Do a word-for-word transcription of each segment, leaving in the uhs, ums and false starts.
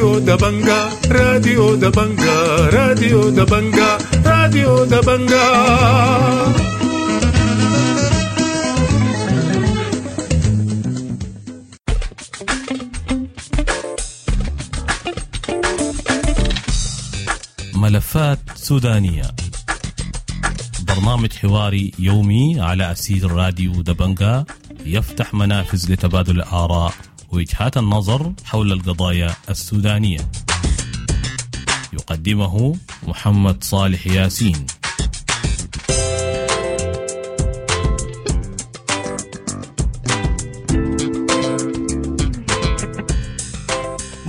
راديو دبنجا راديو دبنجا راديو دبنجا راديو دبنجا. ملفات سودانية، برنامج حواري يومي على أسير راديو دبنجا، يفتح منافذ لتبادل الآراء ووجهات النظر حول القضايا السودانية. يقدمه محمد صالح ياسين.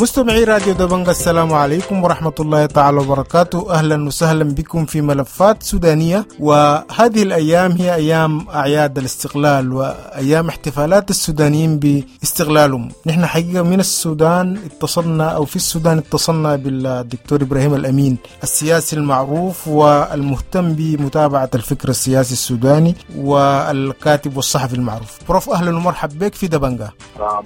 مستمعي راديو دبنجا، السلام عليكم ورحمة الله تعالى وبركاته. أهلا وسهلا بكم في ملفات سودانية. وهذه الأيام هي أيام أعياد الاستقلال وأيام احتفالات السودانيين باستقلالهم. نحن حقيقة من السودان اتصلنا أو في السودان اتصلنا بالدكتور إبراهيم الأمين، السياسي المعروف والمهتم بمتابعة الفكر السياسي السوداني والكاتب والصحفي المعروف. بروف، أهلا ومرحب بك في دبنجا.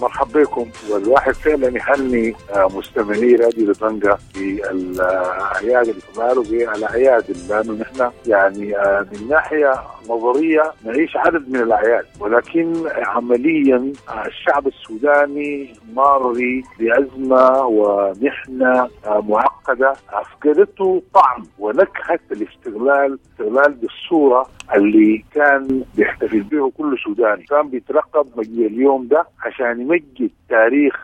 مرحب بكم. والواحد فعلا يهني مستمعي راديو دبنجا في الأعياد الاستقلال وبالأعياد، لأنه نحن يعني من ناحية نظرية نعيش عدد من الأعياد، ولكن عمليا الشعب السوداني ماري بأزمة ومحنة معقدة أفقدته طعم ونكهة الاستقلال، استقلال بالصورة اللي كان بيحتفل به كل سوداني، كان بيترقب مجيء اليوم ده عشان يمجد تاريخ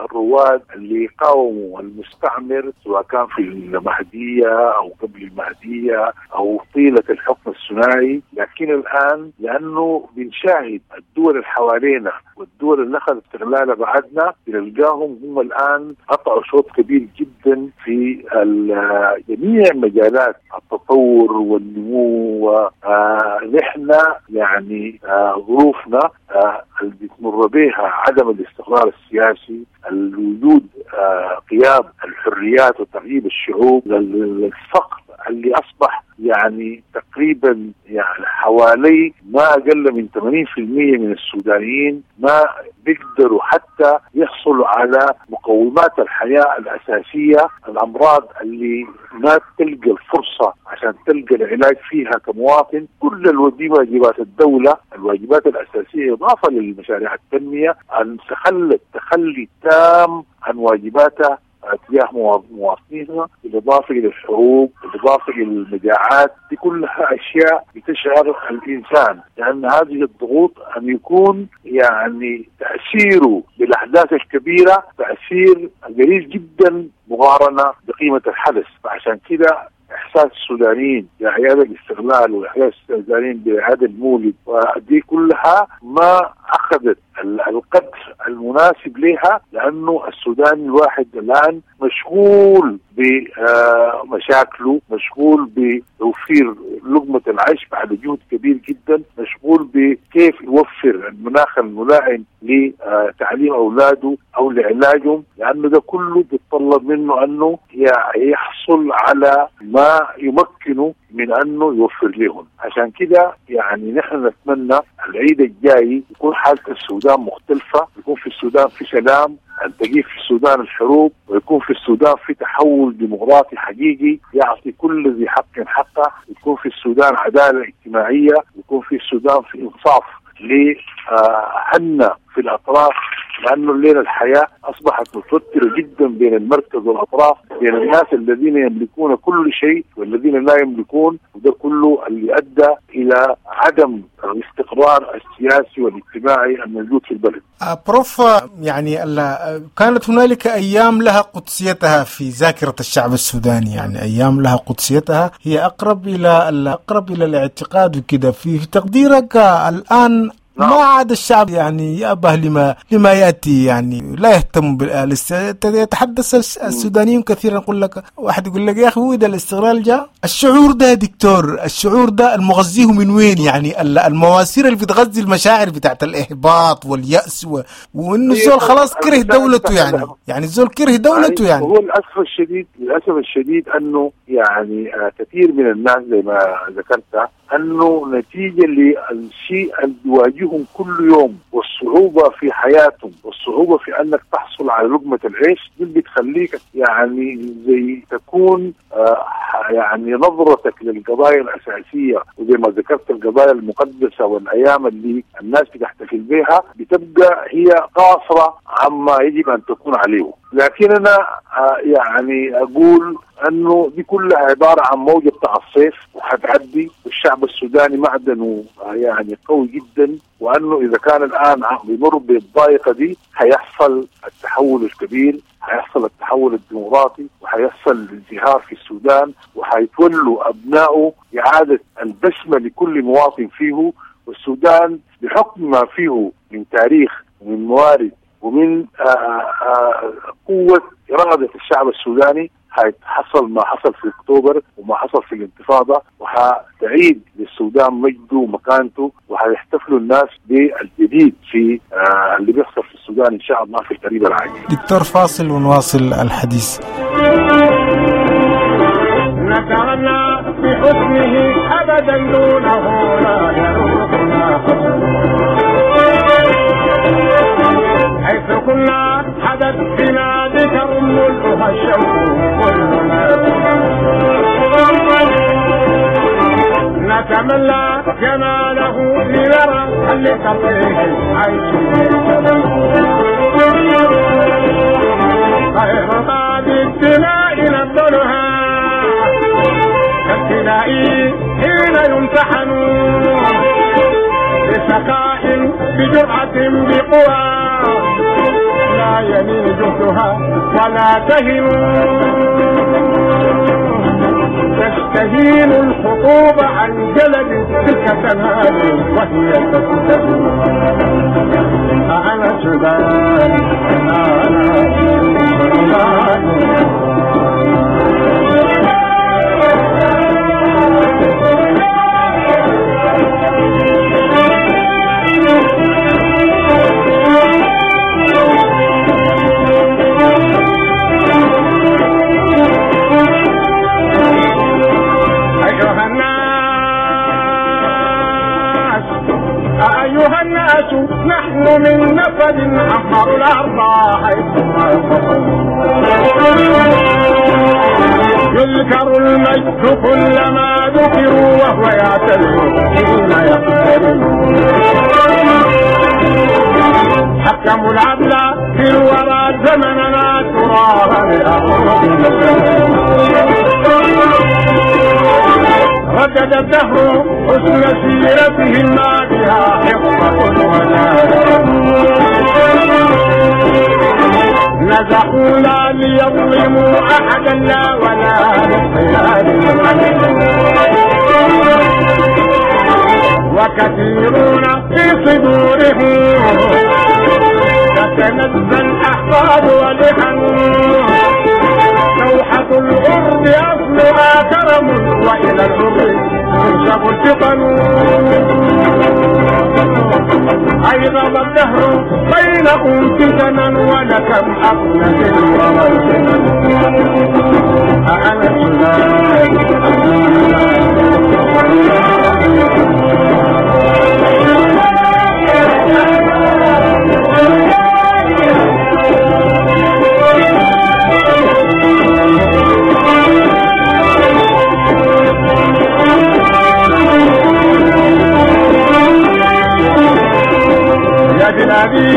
الرواد اللي قاوموا المستعمر، سواء كان في المهدية أو قبل المهدية أو طيلة الحكم الثنائي. لكن الآن لأنه بنشاهد الدول اللي حوالينا والدول اللي أخذت استقلالها بعدنا، بنلقاهم هم الآن قطعوا شوط كبير جدا في جميع مجالات التطور والنمو. ونحن يعني ظروفنا اللي بتمر بها عدم الاستقرار السياسي، الوجود غياب الحريات وتغييب الشعوب، الفقر اللي أصبح يعني تقريبا يعني حوالي ما أقل من ثمانين بالمئة من السودانيين ما بيقدروا حتى يحصلوا على مقومات الحياة الأساسية. الأمراض اللي ما تلقى الفرصة عشان تلقى العلاج فيها كمواطن، كل الواجبات الدولة، الواجبات الأساسية إضافة للمشاريع التنمية، أن تخلت تخلي تام عن واجباتها تجاه مواطنيها، بالإضافة إلى الحروب، بالإضافة إلى المجاعات. دي كلها أشياء بتشعر الإنسان، لأن هذه الضغوط أن يكون يعني تأثيره بالأحداث الكبيرة تأثير قليل جدا مقارنة بقيمة الحدث. فعشان كده إحساس السودانيين بأعياد الاستقلال وإحساس السودانيين بأعياد المولد ودي كلها ما أخذت القدر المناسب لها، لأنه السوداني الواحد الآن مشغول بمشاكله، مشغول بتوفير لقمة العيش بعد جهد كبير جدا، مشغول بكيف يوفر المناخ الملائم لتعليم أولاده أو لعلاجهم، لأنه ده كله بيتطلب منه أنه يحصل على ما يمكنه من أنه يوفر لهم. عشان كده يعني نحن نتمنى العيد الجاي يكون حالة السودان مختلفة، يكون في السودان في سلام، أن تجيب في السودان الحروب، ويكون في السودان في تحول ديمقراطي حقيقي يعطي كل ذي حق حقه، يكون في السودان عدالة اجتماعية، يكون في السودان في إنصاف لأهلنا في الأطراف، لأنه الليلة الحياة أصبحت متوترة جدا بين المركز والأطراف، بين الناس الذين يملكون كل شيء والذين لا يملكون، وده كله اللي أدى إلى عدم الاستقرار السياسي والاجتماعي الموجود في البلد. بروف، يعني كانت هنالك أيام لها قدسيتها في ذاكرة الشعب السوداني، يعني أيام لها قدسيتها هي أقرب إلى أقرب إلى الاعتقاد وكده. في تقديرك الآن ما عاد الشعب يعني يأبه لما لما يأتي، يعني لا يهتم بالاستقلال. يتحدث السودانيون كثيرا، يقول لك واحد يقول لك يا أخي هو إذا الاستقلال جاء. الشعور ده يا دكتور، الشعور ده المغذيه من وين؟ يعني المواسير اللي بتغذي المشاعر بتاعت الإحباط واليأس و... وإنه الزول خلاص كره دولته، يعني يعني الزول كره دولته. يعني هو للأسف الشديد للأسف الشديد أنه يعني كثير من الناس زي ما ذكرت أنه نتيجة للشيء اللي بيواجههم كل يوم والصعوبة في حياتهم والصعوبة في أنك تحصل تحصل على لقمة العيش دي بتخليك يعني زي تكون آه يعني نظرتك للقضايا الأساسية، وزي ما ذكرت القضايا المقدسة والأيام اللي الناس بتحتفل بها بتبقى هي قاصرة عما يجب أن تكون عليه. لكن أنا آه يعني أقول أنه دي كلها عبارة عن موجة بتاع الصيف وحتعدي، والشعب السوداني معدنه يعني قوي جدا، وأنه إذا كان الآن بيمر بالضائقة دي هيحصل التحول الكبير، هيحصل التحول الديمقراطي، وهيحصل الازدهار في السودان، وهيتولوا أبنائه إعادة البسمة لكل مواطن فيه. والسودان بحكم ما فيه من تاريخ ومن موارد ومن آآ آآ قوة إرادة الشعب السوداني هيحصل ما حصل في أكتوبر وما حصل في الانتفاضة، وحتعيد للسودان مجده ومكانته، وحيحتفلوا الناس بالجديد في آه اللي بيحصل في السودان إن شاء الله في القريب العاجل. دكتور فاصل ونواصل الحديث. نتغنى بحسنه أبدا دونه لا يروقنا حيث كنا حدث بنا ذكر ملؤها الشوق كلنا نتمنى جماله لنرى هل لتطيه العيش غير بعد الدماء نبذلها كالفداء حين يمتحن بسخاء بجرأة بقوى لا يميل جهدها ولا تهن تستهين الخطوب عن جلد تلك تنال وهي تستهين. أنا سودان أنا سودان. أيها الناس أيها الناس نحن من نفد عمروا الأرض حيث ما يذكر المجد كلما ذكروا وهو يعتذر حين يقترب. حكموا العدل في الورى زمننا ترابا لأرض ردد الدهر حسن سيرتهم ما بها حقة ولا نزحوا لا ليظلموا أحدا لا ولا للخيال وكثيرون في صدورهم تتنزى الأحقاد ولحن لوحة الغرب أصلها كرم وإلى الغرب تنسب الفطن. أيغض الدهر بينهم فتنا ولكم أفنت الورى. أنا سودان يا بلادي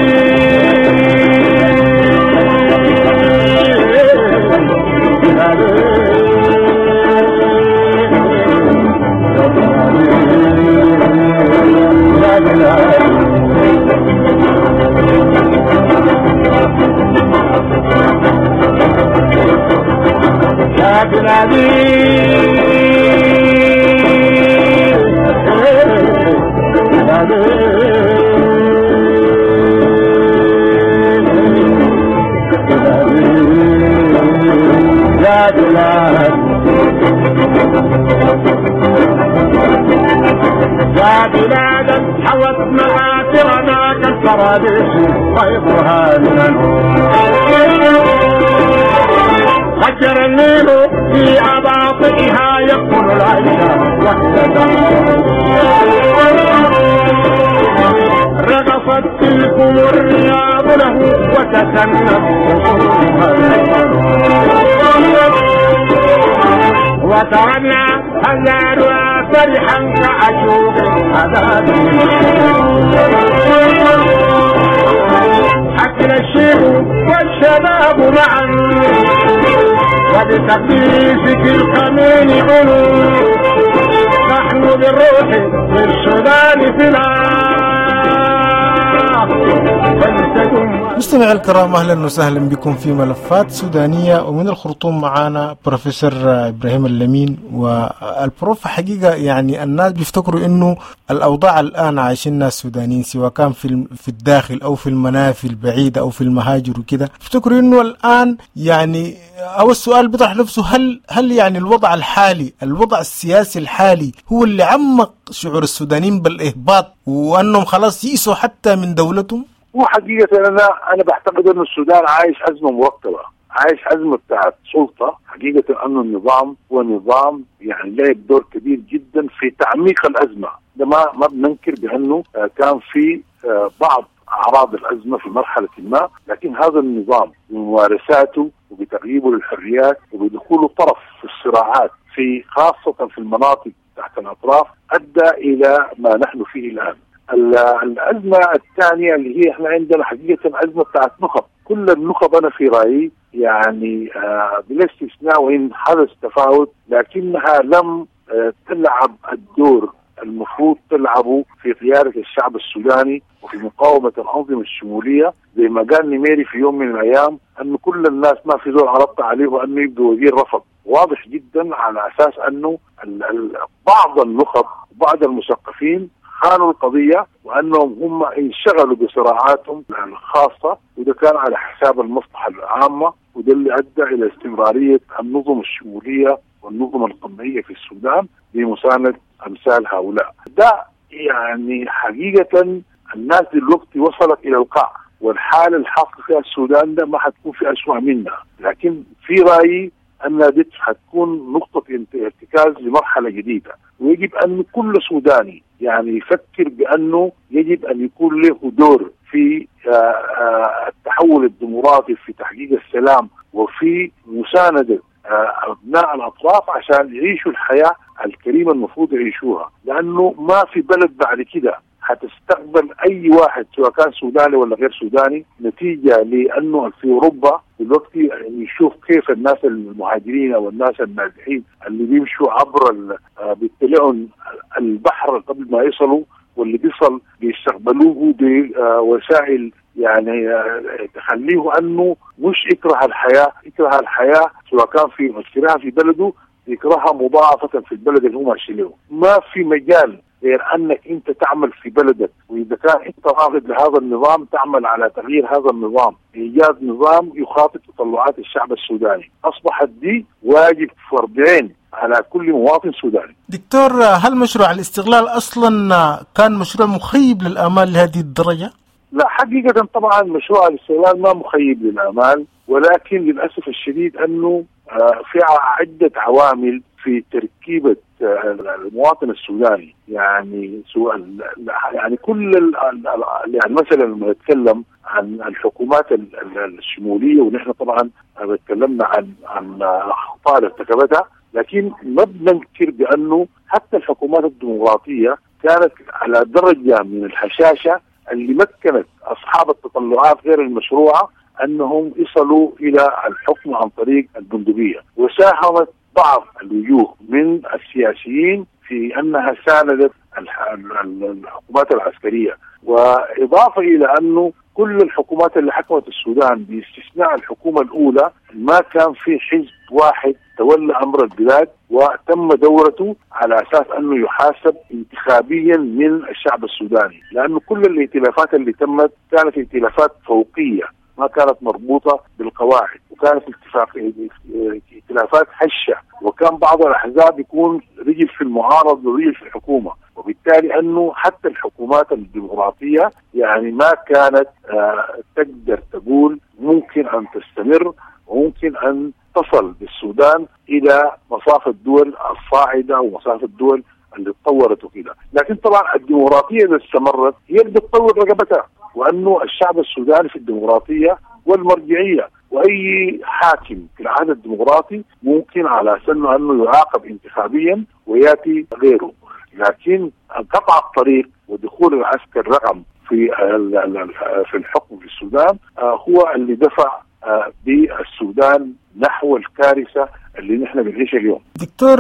يا بلادي يا بلاد يا بلاد حوت مآثرنا كالفراديس طيفها من هجر النيل في أباطئها يقتل العيش وهي رقصت تلكم الرياض له وتسنت وترنا هزارها فرحا كعشوق عذاب. حكى الشيخ والشباب معا وبتقديسك القمين علو، نحن بالروح للسودان فلا. مستمعي الكرام، أهلا وسهلا بكم في ملفات سودانية، ومن الخرطوم معانا بروفيسور إبراهيم اللمين. والبروف حقيقة يعني الناس بيفتكروا إنه الأوضاع الآن عايشينها السودانيين سواء كان في في الداخل أو في المنافي البعيدة أو في المهاجر وكده، بيفتكروا إنه الآن يعني أو السؤال بيطرح نفسه، هل هل يعني الوضع الحالي، الوضع السياسي الحالي هو اللي عمق شعور السودانيين بالإهباط وأنهم خلاص يئسوا حتى من دولتهم؟ هو حقيقة أنا أنا بعتقد أن السودان عايش أزمة مركبة، عايش أزمة بتاعت سلطة. حقيقة أن النظام هو نظام يعني لعب دور كبير جدا في تعميق الأزمة. ده ما ما بننكر بأنه كان في بعض أعراض الأزمة في مرحلة ما، لكن هذا النظام بممارساته وبتغييبه للحريات وبدخوله طرف في الصراعات في خاصة في المناطق تحت الأطراف أدى إلى ما نحن فيه الآن. الأزمة الثانية اللي هي احنا عندنا حقيقة أزمة بتاعت نخب. كل النخب أنا في رأيي يعني آه بلا استثناء وإن حدث تفاوت، لكنها لم آه تلعب الدور المفروض تلعبه في قيادة الشعب السوداني وفي مقاومة الأنظمة الشمولية. زي ما قال نميري في يوم من الأيام أن كل الناس ما في زول عرضت عليه أنه يبدو وزير رفض. واضح جدا على أساس أنه بعض النخب وبعض المثقفين خانوا القضية وأنهم هم انشغلوا بصراعاتهم الخاصة، وده كان على حساب المصلحة العامة، وده اللي أدى إلى استمرارية النظم الشمولية والنظم القمعية في السودان بمساندة أمثال هؤلاء. ده يعني حقيقة الناس دلوقتي وصلت إلى القاع، والحالة الحاصلة فيها السودان ده ما حتكون في أسوأ منها، لكن في رأيي أن دي حتكون نقطة ارتكاز لمرحلة جديدة، ويجب أن كل سوداني يعني يفكر بأنه يجب أن يكون له دور في التحول الديمقراطي، في تحقيق السلام، وفي مساندة أبناء الأطراف عشان يعيشوا الحياة الكريمة المفروض يعيشوها، لأنه ما في بلد بعد كده هتستقبل أي واحد سواء كان سوداني ولا غير سوداني، نتيجة لأنه في أوروبا دلوقتي يشوف كيف الناس المهاجرين أو الناس النازحين اللي بيمشوا عبر بيطلعوا البحر قبل ما يصلوا، واللي بيصل بيستقبلوه بوسائل يعني تخليه أنه مش يكره الحياة، يكره الحياة سواء كان في يكرهها في بلده يكرهها مضاعفة في البلد اللي هو ماشي له. ما في مجال غير أنك أنت تعمل في بلدك، وإذا كان أنت رافض لهذا النظام تعمل على تغيير هذا النظام، إيجاد نظام يخاطب تطلعات الشعب السوداني. أصبحت دي واجب فردين على كل مواطن سوداني. دكتور، هل مشروع الاستغلال أصلا كان مشروع مخيب للآمال لهذه الدرجة؟ لا حقيقة طبعا مشروع الاستغلال ما مخيب للآمال، ولكن للأسف الشديد أنه في عدة عوامل في تركيبة المواطن السوداني، يعني سواء يعني كل يعني مثلا لما نتكلم عن الحكومات الشمولية، ونحن طبعا تكلمنا عن عن اخطاء ارتكبتها، لكن ما بننكر بانه حتى الحكومات الديمقراطية كانت على درجة من الهشاشة اللي مكنت اصحاب التطلعات غير المشروعة انهم يصلوا الى الحكم عن طريق البندقية، وساهمت بعض الوجوه من السياسيين في انها ساندت الحكومات العسكرية، واضافه الى انه كل الحكومات اللي حكمت السودان باستثناء الحكومة الاولى ما كان في حزب واحد تولى امر البلاد وتم دورته على اساس انه يحاسب انتخابيا من الشعب السوداني، لانه كل الائتلافات اللي تمت كانت ائتلافات فوقيه ما كانت مربوطة بالقواعد، وكانت اتفاق ائتلافات هشة، وكان بعض الأحزاب يكون رجل في المعارضة ورجل في الحكومة، وبالتالي أنه حتى الحكومات الديمقراطية يعني ما كانت آه تقدر تقول ممكن أن تستمر وممكن أن تصل بالسودان إلى مصاف الدول الصاعدة ومصاف الدول اللي تطورت وكده. لكن طبعا الديمقراطية إذا استمرت هي اللي بتطور رقبتها، وانه الشعب السوداني في الديمقراطية والمرجعيه، واي حاكم في العهد الديمقراطي ممكن على سنة انه يعاقب انتخابيا وياتي غيره، لكن قطع الطريق ودخول العسكر رقم في في الحكم في السودان هو اللي دفع بالسودان نحو الكارثة اللي نحن بنعيشها اليوم. دكتور،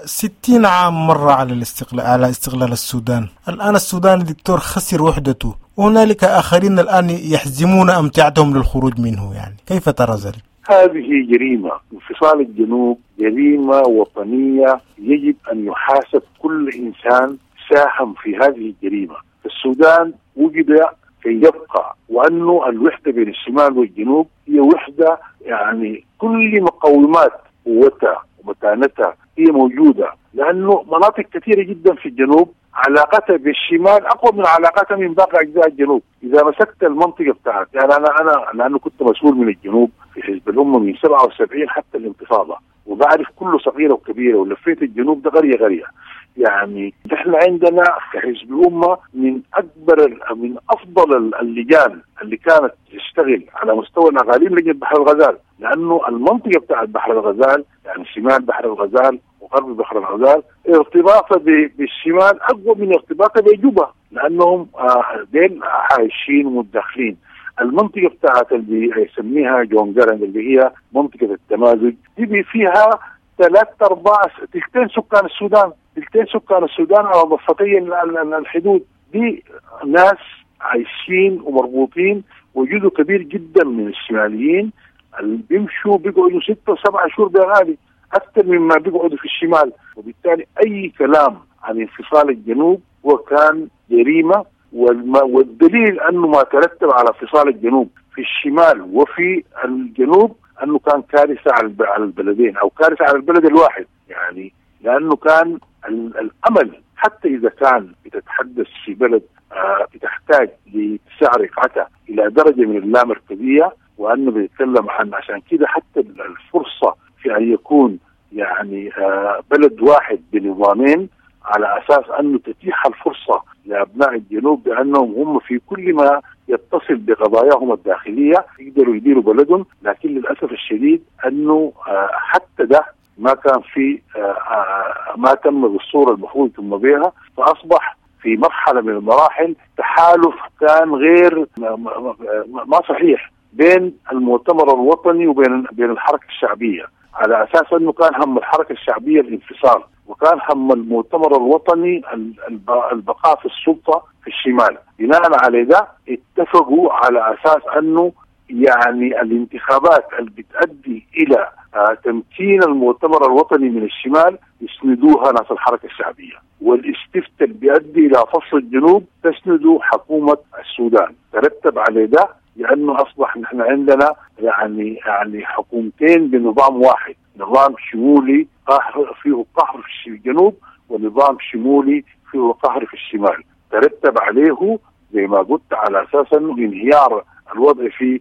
ستين عام مر على الاستقلال، على استقلال السودان، الآن السودان دكتور خسر وحدته، وهنالك آخرين الآن يحزمون أمتعتهم للخروج منه، يعني كيف ترى ذلك؟ هذه جريمة، انفصال الجنوب جريمة وطنية يجب أن يحاسب كل إنسان ساهم في هذه الجريمة. السودان وجد كي يبقى، وأنه الوحدة بين الشمال والجنوب هي وحدة يعني كل مقومات قوتها ومتانتها هي موجودة، لأنه مناطق كثيرة جدا في الجنوب علاقتها بالشمال أقوى من علاقتها من باقي أجزاء الجنوب. إذا مسكت المنطقة بتاعت، يعني أنا أنا لأنه كنت مسؤول من الجنوب في حزب الأمة من سبعة وسبعين حتى الانتفاضة، وبعرف كله صغيرة وكبيرة، ولفيت الجنوب ده قرية قرية. يعني نحن عندنا كحزب الأمة من أكبر من أفضل اللجان اللي كانت تشتغل على مستوى الأقاليم لجنة بحر الغزال، لأنه المنطقة بتاعت بحر الغزال يعني شمال بحر الغزال وغرب بحر الغزال ارتباطها بالشمال أقوى من ارتباطها بجوبة، لأنهم ديل عايشين ومتداخلين. المنطقة بتاعت اللي يسميها جون جارن اللي هي منطقة التمازج دي فيها ثلاث أرباع تلتين سكان السودان، تلتين سكان السودان على ضفتي الحدود، دي ناس عايشين ومربوطين، وجزء كبير جدا من الشماليين اللي بيمشوا بيقعدوا ستة وسبعة شهور بغالي أكثر مما بيقعدوا في الشمال. وبالتالي أي كلام عن انفصال الجنوب هو كان جريمة، والدليل أنه ما ترتب على انفصال الجنوب في الشمال وفي الجنوب أنه كان كارثة على البلدين أو كارثة على البلد الواحد، يعني لأنه كان الأمل حتى إذا كان بتتحدث في بلد بتحتاج لاتساع رقعتها إلى درجة من اللامركزية، وأنه بيتكلم عن عشان كده حتى الفرصة في أن يكون يعني بلد واحد بنظامين، على أساس أنه تتيح الفرصة لأبناء الجنوب بأنهم هم في كل ما يتصل بقضاياهم الداخلية يقدروا يديروا بلدهم. لكن للأسف الشديد أنه حتى ده ما كان في ما تم بالصورة المفروض تم بها، فأصبح في مرحلة من المراحل تحالف كان غير ما صحيح بين المؤتمر الوطني وبين بين الحركة الشعبية، على أساس أنه كان هم الحركة الشعبية الانفصال، وكان هم المؤتمر الوطني البقاء في السلطة في الشمال. بناء على ده اتفقوا على أساس أنه يعني الانتخابات اللي بتؤدي إلى تمكين المؤتمر الوطني من الشمال يسندوها ناس الحركة الشعبية، والاستفتاء اللي بيؤدي إلى فصل الجنوب تسندوا حكومة السودان. ترتب على ده لأنه أصبح نحن عندنا يعني يعني حكومتين بنظام واحد، نظام شمولي قهر فيه قهر في الجنوب، ونظام شمولي فيه قهر في الشمال. ترتب عليه زي ما قلت على أساس أنه انهيار الوضع في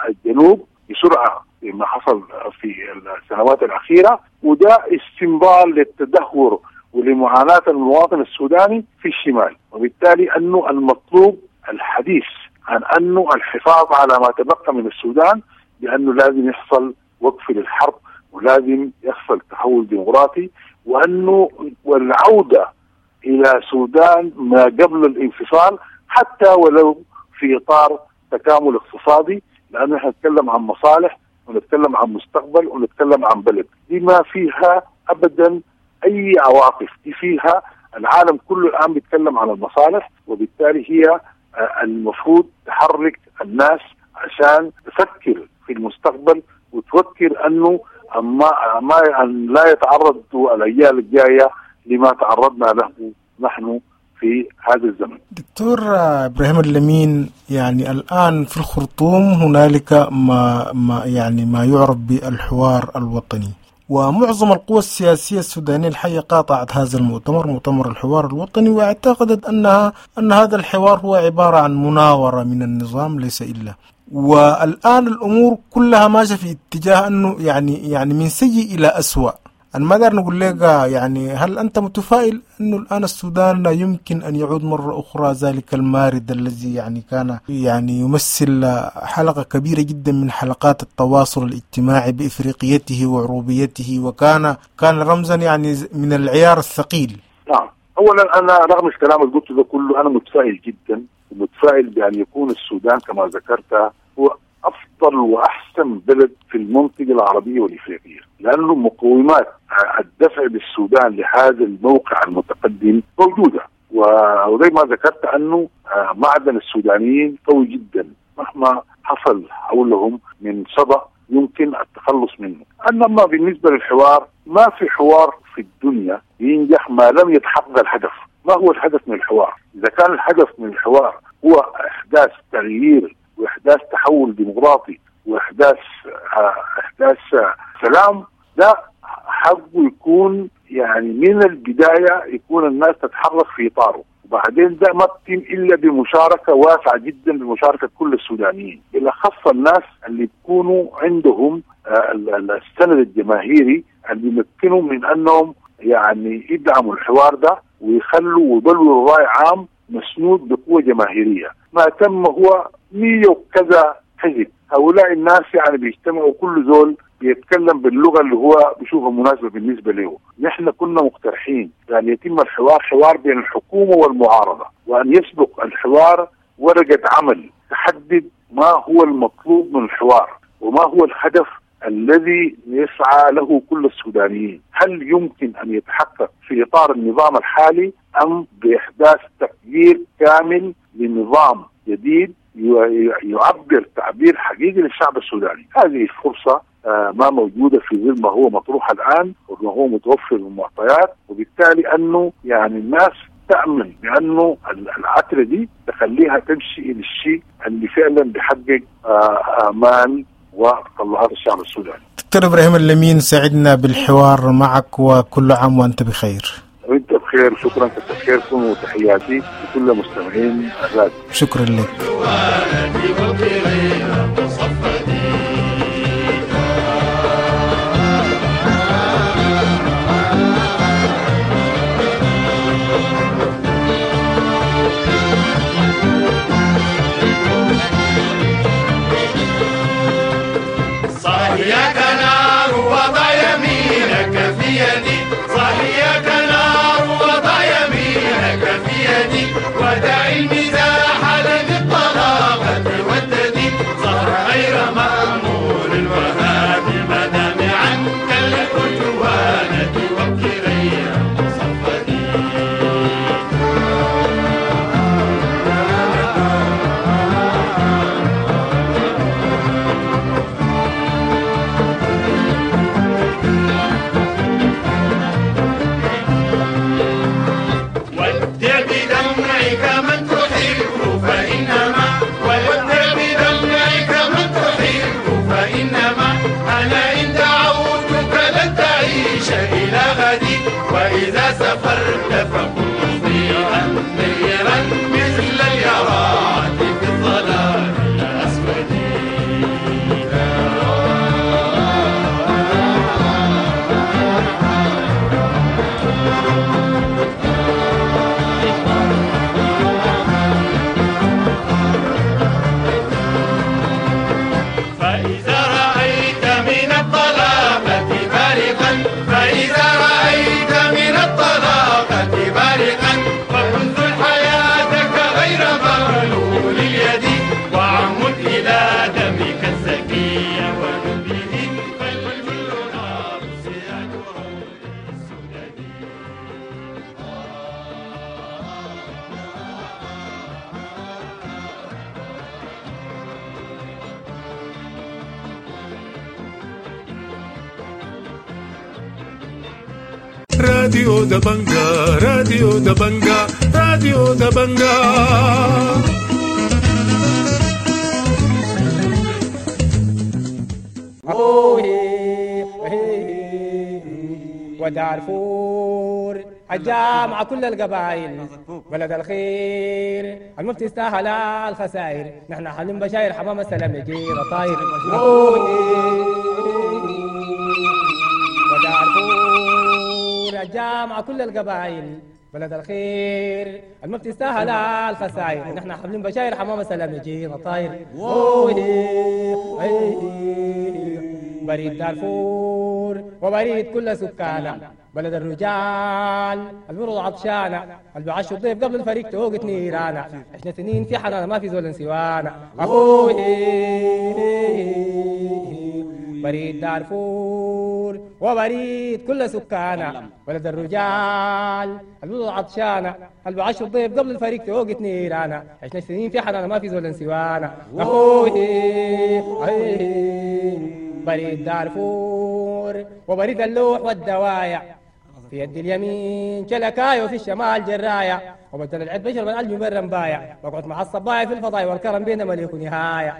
الجنوب بسرعة ما حصل في السنوات الأخيرة، وده استمرار للتدهور ولمعاناة المواطن السوداني في الشمال. وبالتالي أنه المطلوب الحديث عن أنه الحفاظ على ما تبقى من السودان بأنه لازم يحصل وقف للحرب، ولازم يحصل تحول ديمقراطي، وأنه والعودة إلى سودان ما قبل الانفصال حتى ولو في إطار تكامل اقتصادي، لأنه نحن نتكلم عن مصالح ونتكلم عن مستقبل ونتكلم عن بلد دي ما فيها أبدا أي عواطف، دي فيها العالم كله الآن بيتكلم عن المصالح، وبالتالي هي المفروض تحرك الناس عشان تفكر في المستقبل وتفكر أنه ما ما أن لا يتعرض الأجيال الجاية لما تعرضنا له نحن في هذا الزمن. دكتور إبراهيم اللمين، يعني الآن في الخرطوم هنالك ما, ما يعني ما يعرف بالحوار الوطني، ومعظم القوى السياسية السودانية الحقيقة قاطعت هذا المؤتمر، مؤتمر الحوار الوطني، واعتقدت أنها أن هذا الحوار هو عبارة عن مناورة من النظام ليس إلا. والآن الأمور كلها ماشية في اتجاه أنه يعني يعني من سيء إلى أسوأ. أنا ما دار نقول لك يعني هل أنت متفائل أنه الآن السودان يمكن أن يعود مرة أخرى ذلك المارد الذي يعني كان يعني يمثل حلقة كبيرة جدا من حلقات التواصل الاجتماعي بإفريقيته وعروبيته، وكان كان رمزا يعني من العيار الثقيل؟ نعم، أولا أنا رغم الكلام اللي قلته ده كله أنا متفائل جدا، ومتفائل بأن يكون السودان كما ذكرت هو أفضل وأحسن بلد في المنطقة العربية والإفريقية، لأنه مقومات الدفع بالسودان لهذا الموقع المتقدم موجودة. وزي ما ذكرت أنه معدن السودانيين قوي جدا، مهما حصل حولهم من صدأ يمكن التخلص منه. أما بالنسبة للحوار، ما في حوار في الدنيا ينجح ما لم يتحقق الهدف. ما هو الهدف من الحوار؟ إذا كان الهدف من الحوار هو إحداث تغيير وإحداث تحول ديمقراطي وإحداث إحداث سلام، ده حقه يكون يعني من البداية يكون الناس تتحرك في إطاره. وبعدين ده ما بتم إلا بمشاركة واسعة جدا، بمشاركة كل السودانيين، بالأخص الناس اللي بيكونوا عندهم السند الجماهيري اللي يمكنهم من أنهم يعني يدعموا الحوار ده ويخلوا ويبلوروا رأي عام مسنود بقوة جماهيرية. ما تم هو مية وكذا حزب، هؤلاء الناس يعني بيجتمعوا كل زول بيتكلم باللغة اللي هو بيشوفها مناسبة بالنسبة له. نحن كنا مقترحين يعني يتم الحوار حوار بين الحكومة والمعارضة، وأن يسبق الحوار ورقة عمل تحدد ما هو المطلوب من الحوار وما هو الهدف الذي يسعى له كل السودانيين. هل يمكن أن يتحقق في إطار النظام الحالي أم بإحداث تغيير كامل لنظام جديد يعبر تعبير حقيقي للشعب السوداني؟ هذه الفرصة ما موجودة في ظل ما هو مطروح الآن وما هو متوفر من معطيات، وبالتالي أنه يعني الناس تأمن بأنه العترة دي تخليها تمشي إلى الشيء اللي فعلا بيحقق آمان وتطلعات الشعب السوداني. دكتور إبراهيم اللمين، سعدنا بالحوار معك، وكل عام وأنت بخير. وأنت بخير، شكرا كتر خيركم، وتحياتي لكل مستمعين الراديو. شكرا لك. صهيك نار وضع يمينك في يدي، صهيك نار وضع يمينك في يدي، ودع المزاح لذي الطلاقة والتدي، صار غير مأمور الوهاب ما دام عنك الأرجوانة وابكي غير مصفدي. ودع بدمعك من تحب فإنما، ودع بدمعك من تحب فإنما، أنا إن دعوتك لن تعيش إلى غدي، وإذا سافرت فكن مضيئا نيرا مثل اليرات في الظلام الأسود. فإذا رأيت من الطلاقة بارقا، فإذا رأيت من الطلاقة بارقا، فانزل حياتك غير مغلول اليد، وعمد إلى دمك الزكي ونبله، فالكل نار سياج روض السدد. راديو دبنجا، راديو دبنجا، راديو دبنجا. ودارفور الجامعة كل القبائل بلد الخير المفتي استاهل الخسائر، نحن حلم بشاير حمام السلام يجينا طاير. ودارفور الجامعة كل القبائل، بلد الخير الما بتستاهل الخسائر، نحن حاملين بشاير حمامة سلام يجينا طاير. بريد دارفور وبريد كل سكانه، بلد الرجال البرد عطشانة، اللي بعشوا الضيف قبل الفريق توقت نيرانا، عشنا سنين في حنانة ما في زول سوانا. أخوي بريد دارفور وبريد كل سكانه، بلد الرجال البرد عطشانة، اللي بعشوا الضيف قبل الفريق توقت نيرانا، عشنا سنين في حنانة ما في زول سوانا. أخوي بريد دارفور وبريد اللوح والدوايا، في يد اليمين شلكاية وفي الشمال جراية، وبدل العد بشر من قلبي برا مبايع، بقعد مع الصبايا في الفضايا والكرم بينا مليك نهاية.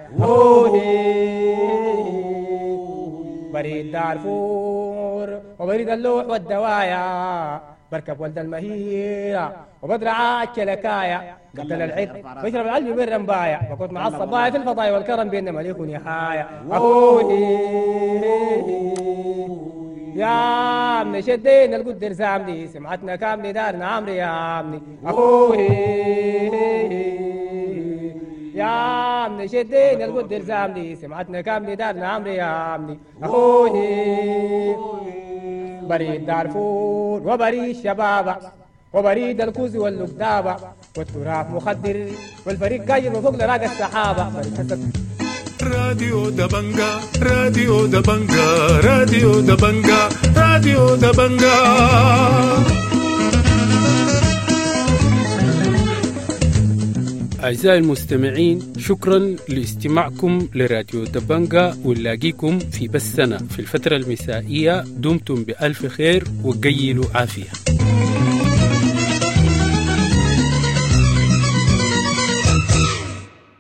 بريد دارفور وبريد اللوح والدوايا، بركب ولد المهيرة وبدرع الشلكاية، بدل العد بشرب العلم برا مبايع، بقعد مع الصبايا في الفضايا والكرم بينا مليك نهاية. يا عمي شدينا القدر زامني، سمعتنا كاملي دارنا عمري يا عمي. أخوي يا عمي شدينا القدر زامني، سمعتنا كاملي دارنا عمري يا عمي. أخوي بريد دارفور وبريد شبابة، وبريد الكوز واللقدابة، والتراب مخدر والفريق قايم وفوق لراق السحابة. راديو دبنجا، راديو دبنجا، راديو دبنجا، راديو دبنجا. أعزائي المستمعين، شكرا لاستماعكم لراديو دبنجا، ونلاقيكم في بثنا في الفترة المسائية. دمتم بألف خير وقيلوا عافية.